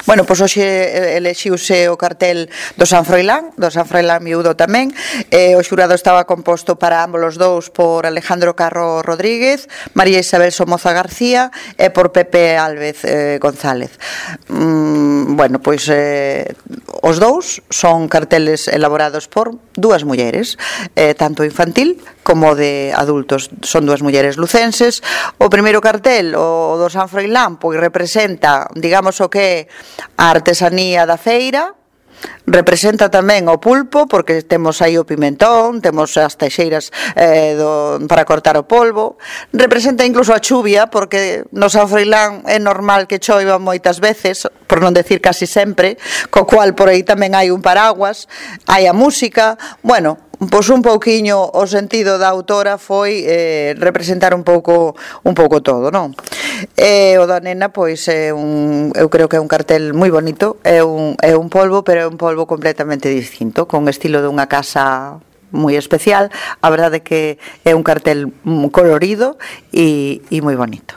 Bueno, pois hoxe elexiuse o cartel do San Froilán Miúdo tamén. O xurado estaba composto para ambos os dous por Alejandro Carro Rodríguez, María Isabel Somoza García e por Pepe Álvez González. Bueno, pois os dous son carteles elaborados por dúas mulleres, tanto infantil como de adultos. Son dúas mulleres lucenses. O primeiro cartel, o do San Froilán, pois representa, digamos, o que é a artesanía da feira. Representa tamén o pulpo, porque temos aí o pimentón, temos as teixeiras para cortar o polvo. Representa incluso a chuvia, porque no San Froilán é normal que choiva moitas veces, por non decir casi sempre, co cual por aí tamén hai un paraguas, hai a música. Bueno, pois un pouquiño o sentido da autora foi representar un pouco todo, non? O da nena, pois eu creo que é un cartel moi bonito, é un polvo, pero é un polvo completamente distinto, con estilo dunha casa moi especial. A verdade é que é un cartel colorido e moi bonito.